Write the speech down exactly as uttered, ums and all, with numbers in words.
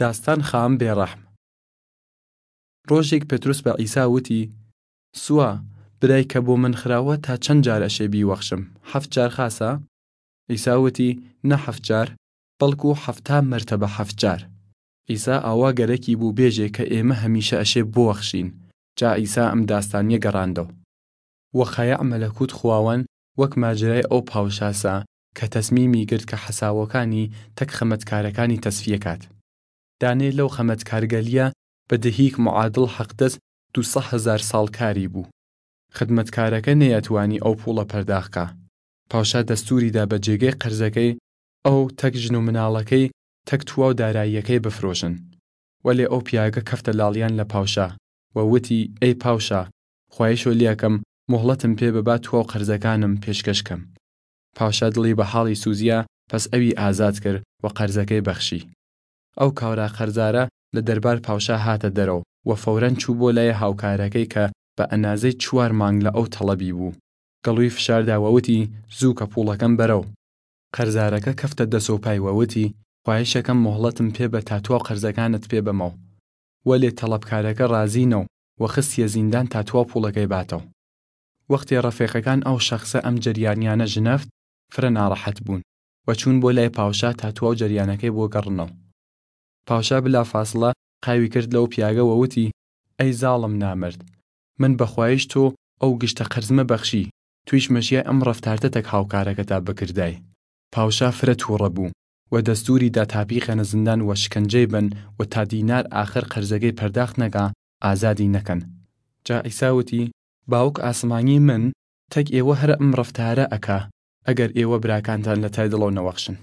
داستان خام بێڕەحم. ڕۆژێگ پێتروس بە عیسا وتی، سووا، برای کە بۆ من خراوە تا چەن جار ئەشێ بیوەخشم؟ هەفت جار خاسە؟ عیسا وتی، نە هەفت جار، بەڵکو هەفتا مەرتەبە هەفت جار. عیسا ئاوا گەرەکی بوو بێژێ کە ئێمە هەمیشە ئەشێ بوەخشین. جا عیسا ئەم داستانیە گەڕاندەو. وەخەیەع مەلەکوت خواوەن وەک ماجرای ئەو پاوشاسە کە تەسمیمی گرت کە حەساوەکانی تەک خەمەتکارەکانی تەسفیە کات. دانێ لەو خەمەتکارگەلیە بە دهیک معادڵ حەقدەس دوو سەد هەزار ساڵ کاری بوو. خدمەتکارەکە نەیەتوانی ئەو پوڵە پەرداخکا. پاوشا دەستوری دا بە جێگەی قەرزەکەی ئەو تەک ژن و مناڵەکەی تەک تواو داراییەکەی بفرۆشن. وەلێ ئەو پیاگە کەفتە لاڵیان لە پاوشا و وتی، ئەی پاوشا، خوایشۆ لێکەم، مۆهڵەتم پێ ببا تواو قەرزەکانم پێشکەش کەم. پاوشا دڵی بە حاڵی سوزیا، پەس ئەوی ئازاد کرد و قەرزەکەی بەخشی. ئەو کاورا قەرزارە لە دەربار پاوشا هاتە دەرەو و فەورەن چوو بۆ لای هاوکارەکەی کە بە ئەنازەی چوار مانگ لە ئەو تەڵەبی بوو. گەڵوی فشاردا و وتی، زوو کە پوڵەکەم بەرەو. قەرزارەکە کەفتە دەسەوپای و وتی، خوایشەکەم مۆهڵەتم پێ بە تا تواو قەرزەکانت پێ بەمەو. وەلێ تەڵەبکارەکە ڕازی نەو و خستیە زیندان تا تواو پوڵەکەی باتەو. وەختێ ڕەفێقەکان ئەو شەخسە ئەم جەریانیانە ژنەفت، فرە ناڕەحەت بوون و چوون بۆ لای پاوشا تا تواو جەریانەکەی بۆ گەڕنەو. پاوشا بلا فاسڵە قاوی کرد لەو پیاگە و وتی، ئەی زاڵم نامرد، من بە خوایش تۆ ئەو گشتە قەرزمە بەخشی، تویش مەشیای ئەم ڕەفتارتە تەک هاوکارەکەتا بکردای. پاوشا فرە تووڕە بوو و دەستوری دا تا بیخەنە زندان و شکنجەی بەن و تا دینار ئاخر قەرزەگەی پەرداخت نەکا ئازادی نەکەن. جا عیسا وتی، باوک ئاسمانی من تەک ئێوە هەر ئەم ڕەفتارە ئەکا ئەگەر ئێوە براکانتان لە تای دڵەو نەوەخشن.